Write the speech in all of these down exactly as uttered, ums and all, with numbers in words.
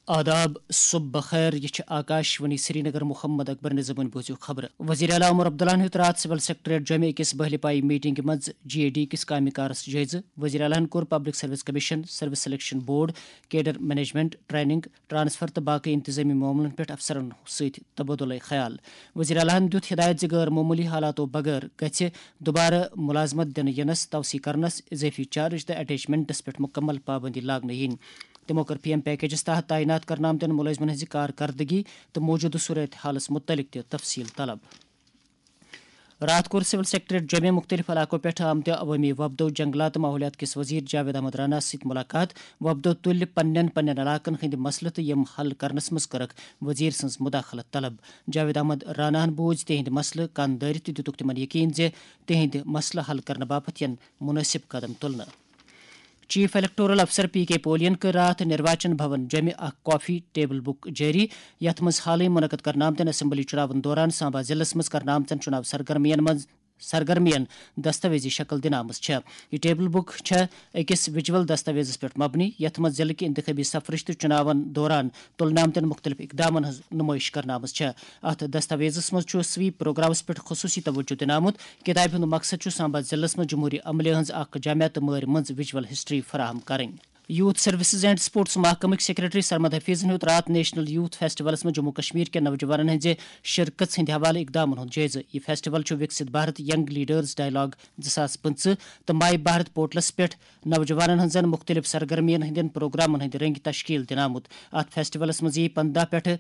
آداب، صبح بخیر، یہِ چھِ آکاش وانی سرینگر۔ محمد اکبر نظامن بوٗزِو خبرٕ۔ وزیر اعلیٰ عمر عبداللہن ہیوٚت راتھ سول سیکرٹریٹ جوٚمہِ أکِس بٔہلہِ پایہِ میٹنگہِ منٛز جے ڈی کِس کامہِ کارس جٲیزٕ۔ وزیر اعلیٰ ہن کوٚر public service commission, service selection board, cadre management, training, transfer تہٕ باقٕے انتظٲمی معاملن پٮ۪ٹھ افسرن سۭتۍ تبادلہ خیال۔ وزیر اعلیٰ ہن دیُت ہدایت زِ غٲر معموٗلی حالاتو بغٲر گژھِ دوبارٕ ملازمت دِنہٕ ینس، توسیع کرنس، اضٲفی چارج تہٕ اٹیچمنٹس پٮ۪ٹھ مکمل پابندی لاگنہٕ یِنۍ۔ تِمو کٔر پی ایم پیکیجَس تحت تعینات کرنہٕ آمتٮ۪ن مُلٲزمَن ہٕنٛزِ کارکردگی تہٕ موٗجوٗدٕ صورت حالَس مُتعلِق تہِ تفصیٖل طلب۔ راتھ کوٚر سول سیکرٹریٹ جوٚمہِ مُختٔلِف علاقو پٮ۪ٹھ آمتہِ عوٲمی وفدو، جنگلات تہٕ ماحولیات کِس وزیر جاوید احمد راناہَس سۭتۍ مُلاقات۔ وفدو تُلۍ پننٮ۪ن پننٮ۪ن علاقَن ہٕنٛدۍ مسلہٕ تہٕ یِم حل کرنَس منٛز کٔرٕکھ وزیر سٕنٛز مداخلت طلب۔ جاوید احمد راناہَن بوٗزۍ تِہنٛدۍ مسلہٕ کن دٲرِتھ تہٕ دِتُکھ تِمَن یقین زِ تِہنٛدۍ مسلہٕ حل کرنہٕ باپتھ یِن مُنٲسِب قدم تُلنہٕ۔ چیف الیکٹورل افسر پی کے پولین کٔر راتھ نروان بھون جوٚمہِ اکھ کافی ٹیبل بُک جٲری، یتھ منٛز حالٕے منعقد کرنہٕ آمتٮ۪ن اسمبلی چُناون دوران سامبا ضلعس منٛز کرنہٕ آمژن چُناو سرگرمین منٛز سرگرمین دستاویزی شکل دِنہٕ آمٕژ چھےٚ۔ یہِ ٹیبل بُک چھےٚ أکِس ویجول دستاویزس پٮ۪ٹھ مبنی، یتھ منٛز ضلعہٕ کہِ انتخابی سفرٕچ تہٕ چُناون دوران تُلنہٕ آمتٮ۪ن مُختٔلِف اقدامن ہٕنٛز نُمٲیِش کرنہٕ آمٕژ چھےٚ۔ اتھ دستاویزس منٛز چھُ سویپ پروگرامس پٮ۪ٹھ خصوٗصی توجہ دِنہٕ آمُت۔ کتابہِ ہُنٛد مقصد چھُ سامبا ضلعس منٛز جمہوری عملہِ ہٕنٛز اکھ جامع تہٕ مٲرۍ مٔنٛز ویجول ہسٹری فراہم کرٕنۍ۔ یوتھ سروسز اینڈ سپورٹس محکمٕکۍ سیکرٹری سرمد حفیظن ہیوٚت راتھ نیشنل یوتھ فیسٹیولس منٛز جموں کشمیر کٮ۪ن نوجوانن ہٕنٛزِ شرکژ ہٕنٛدِ حوالہٕ اقدامن ہُنٛد جٲیزٕ۔ یہِ فیسٹیول چھُ وکسِت بھارت ینگ لیڈرز ڈائیلاگ زٕ ساس پٕنٛژٕہ تہٕ مائی بھارت پورٹلس پٮ۪ٹھ نوجوانن ہٕنٛزن مُختٔلِف سرگرمین ہٕنٛدٮ۪ن پروگرامن ہٕنٛدِ رنگہِ تشکیل دِنہٕ آمُت۔ اتھ فیسٹیولس منٛز یِیہِ پنٛداہ پٮ۪ٹھٕ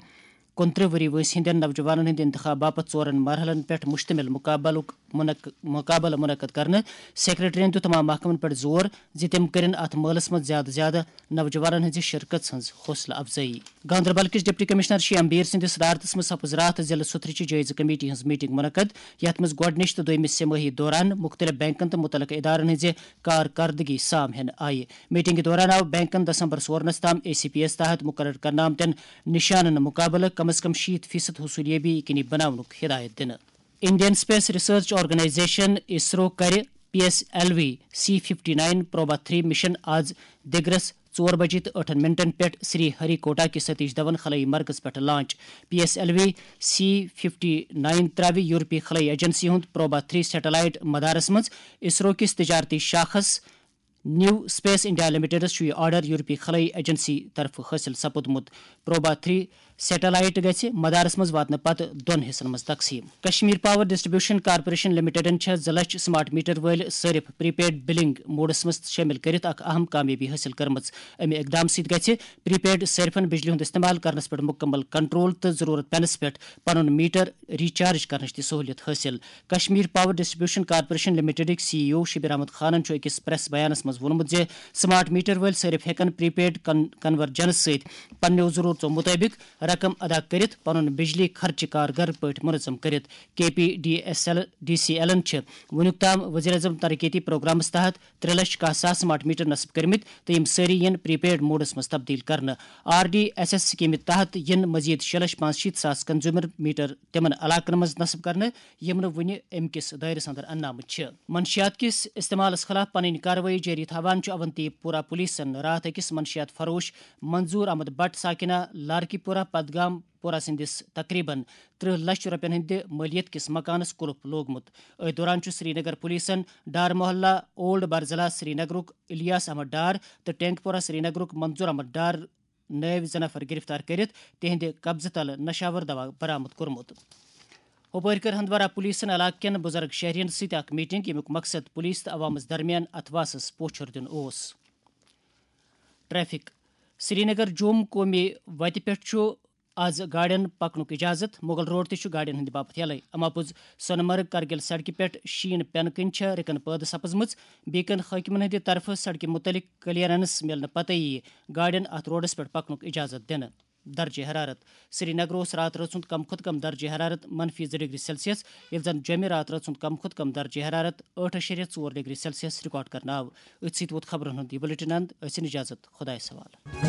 کُنترٕہ ؤری وٲنٛسہِ ہٕنٛدٮ۪ن نوجوانن ہٕنٛدِ انتخاب باپتھ ژورن مرحلن پٮ۪ٹھ مشتمل مقابلُک منعق-، مقابلہٕ منعقد کرنہٕ۔ سیکرٹریَن دیُت تمام محکمن پٮ۪ٹھ زور زِ تِم کٔرِن اتھ مٲلَس منٛز زیادٕ زیادٕ نوجوانن ہٕنٛزِ شرکژ ہٕنٛز حوصلہٕ افزٲیی۔ گاندربل کِس ڈپٹی کمشنر شیام بیر سٕنٛدِس صدارتس منٛز سپٕز راتھ ضلعہٕ سُتھرٕچہِ جٲیزٕ کمیٹی ہٕنٛز میٹنگ منعقد، یتھ منٛز گۄڈٕنِچ تہٕ دوٚیمِس سہ مٲہی دوران مُختٔلِف بینکن تہٕ مُتعلقہٕ ادارن ہٕنٛزِ کارکردگی سام ہٮ۪نہٕ آیہِ۔ میٹنگہِ دوران آو بینکن دسمبر سورنس تام اے سی پی ایس تحت مقرر کرنہٕ آمتٮ۪ن نشانن مقابلہٕ کم از کم شیٖتھ فیصد حصولیابی یقینی بناونُک ہدایت دِنہٕ۔ Indian space research organisation, ISRO, کرِ P S L V C fifty nine Proba three mission آز دِگرس ژور بجے تہٕ ٲٹھن منٹن پٮ۪ٹھ سری ہری کوٹا کِس ستیش دھون خلٲئی مرکز پٮ۪ٹھ launch. P S L V C fifty nine تراوِ یورپی خلٲئی ایجنسی ہُنٛد پروبا تھری سیٹلائٹ مدارس منٛز۔ اسرو کِس تجارتی شاخس نیو اسپیس انڈیا لمیٹڈس چھُ یہِ آرڈر یورپی خلٲئی ایجنسی طرفہٕ حٲصِل سپُدمُت۔ پروبا تھری سیٹلائٹ گژھِ مدارس منٛز واتنہٕ پتہٕ دۄن حصن منٛز تقسیٖم۔ کشمیر پاور ڈسٹریبیوشن کارپوریشن لمیٹڈن چھےٚ زٕ لچھ سمارٹ میٹر وٲلۍ صٲرف پری پیڈ بلنگ موڈس منٛز شٲمِل کٔرِتھ اکھ اہم کامیٲبی حٲصِل کٔرمٕژ۔ امہِ اقدام سۭتۍ گژھِ پری پیڈ صٲرفن بجلی ہُنٛد استعمال کرنس پٮ۪ٹھ مُکمل کنٹرول تہٕ ضروٗرت پینس پٮ۪ٹھ پنُن میٹر ریچارج کرنٕچ تہِ سہوٗلیت حٲصِل۔ کشمیر پاور ڈسٹریبیوشن کارپوریشن لمیٹڈٕکۍ C E O Shabir Ahmad خانن چھُ أکِس پریس بیانس منٛز ووٚنمُت زِ سمارٹ میٹر وٲلۍ صٲرف ہٮ۪کن پری پیڈ کن-، کنورجنس سۭتۍ پننیو ضروٗرژو مُطٲبِق رقم ادا کٔرِتھ پنُن بجلی خرچہٕ کارگر پٲٹھۍ منظم کٔرِتھ۔ K P D S L, D C ایلن چھِ وُنیُک تام وزیر اعظم ترقیتی پروگرامس تحت ترٛےٚ لچھ کاہ ساس سمارٹ میٹر نصب کٔرمٕتۍ تہٕ یِم سٲری یِن پری پیڈ موڈس منٛز تبدیل کرنہٕ۔ آر ڈی ایس ایس سکیمہِ تحت یِن مزید شےٚ لچھ پانٛژھ شیٖتھ ساس کنزیومر میٹر تِمن علاقن منٛز نصب کرنہٕ، یِم نہٕ وُنہِ امہِ کِس دٲیرس اندر اننہٕ آمٕتۍ چھِ۔ منشیات کِس استعمالس خلاف پنٕنۍ کاروٲیی جٲری تھاوان چھُ اونتی پورہ پولیسن راتھ أکِس منشیات فروش منظور احمد بٹ ساکنہ لارکی پورہ پدگام پورہ سٕنٛدِس تقریباً ترٕٛہ لچھ رۄپین ہٕنٛدِ مٲلیت کِس مکانس قُلف لوگمُت۔ أتھۍ دوران چھُ سرینگر پولیسن ڈار محلہ اولڈ برزلا سرینگرُک الیاس احمد ڈار تہٕ ٹینک پورہ سرینگرُک منظور احمد ڈار نٲوۍ زٕ نفر گرفتار کٔرِتھ تِہنٛدِ قبضہٕ تلہٕ نشاور دوا برآمد کوٚرمُت۔ ہُپٲرۍ کٔر ہندوارہ پولیسن علاقہٕ کٮ۪ن بُزرگ شہرین سۭتۍ اکھ میٹنگ، ییٚمیُک مقصد پُلیٖس تہٕ عوامس درمیان اتھواسس پوچھر دیُن اوس۔ ٹریفک۔ سرینگر جوم قومی وتہِ پٮ۪ٹھ چھُ آز گاڑٮ۪ن پکنُک اجازت۔ مغل روڈ تہِ چھُ گاڑٮ۪ن ہٕنٛدِ باپتھ یلے۔ اما پوٚز سۄنہٕ مرگ کرگِل سڑکہِ پٮ۪ٹھ شیٖن پٮ۪نہٕ کِنۍ چھےٚ رِکن پٲدٕ سپٕزمٕژ۔ بیکن حٲکمن ہٕنٛدِ طرفہٕ سڑکہِ مُتعلق کلیئرنس میلنہٕ پتہٕ یِیہِ گاڑٮ۪ن اتھ روڈس پٮ۪ٹھ پکنُک اجازت دِنہٕ۔ درجہ حرارت۔ سرینگر اوس راتہٕ رٲژ ہُنٛد کم کھۄتہٕ کم درجہ حرارت منفی زٕ ڈگری سیلسیس، ییٚلہِ زن جوٚمہِ راتہٕ رٲژ ہُنٛد کم کھۄتہٕ کم درجہ حرارت ٲٹھ اَشاریہ ژور ڈگری سیلسیس ریکارڈ کرنہٕ آو۔ أتھۍ سۭتۍ ووت خبرن ہُنٛد یہِ بلیٹن اند۔ ٲسِن اجازت، خۄدایس حوالہٕ۔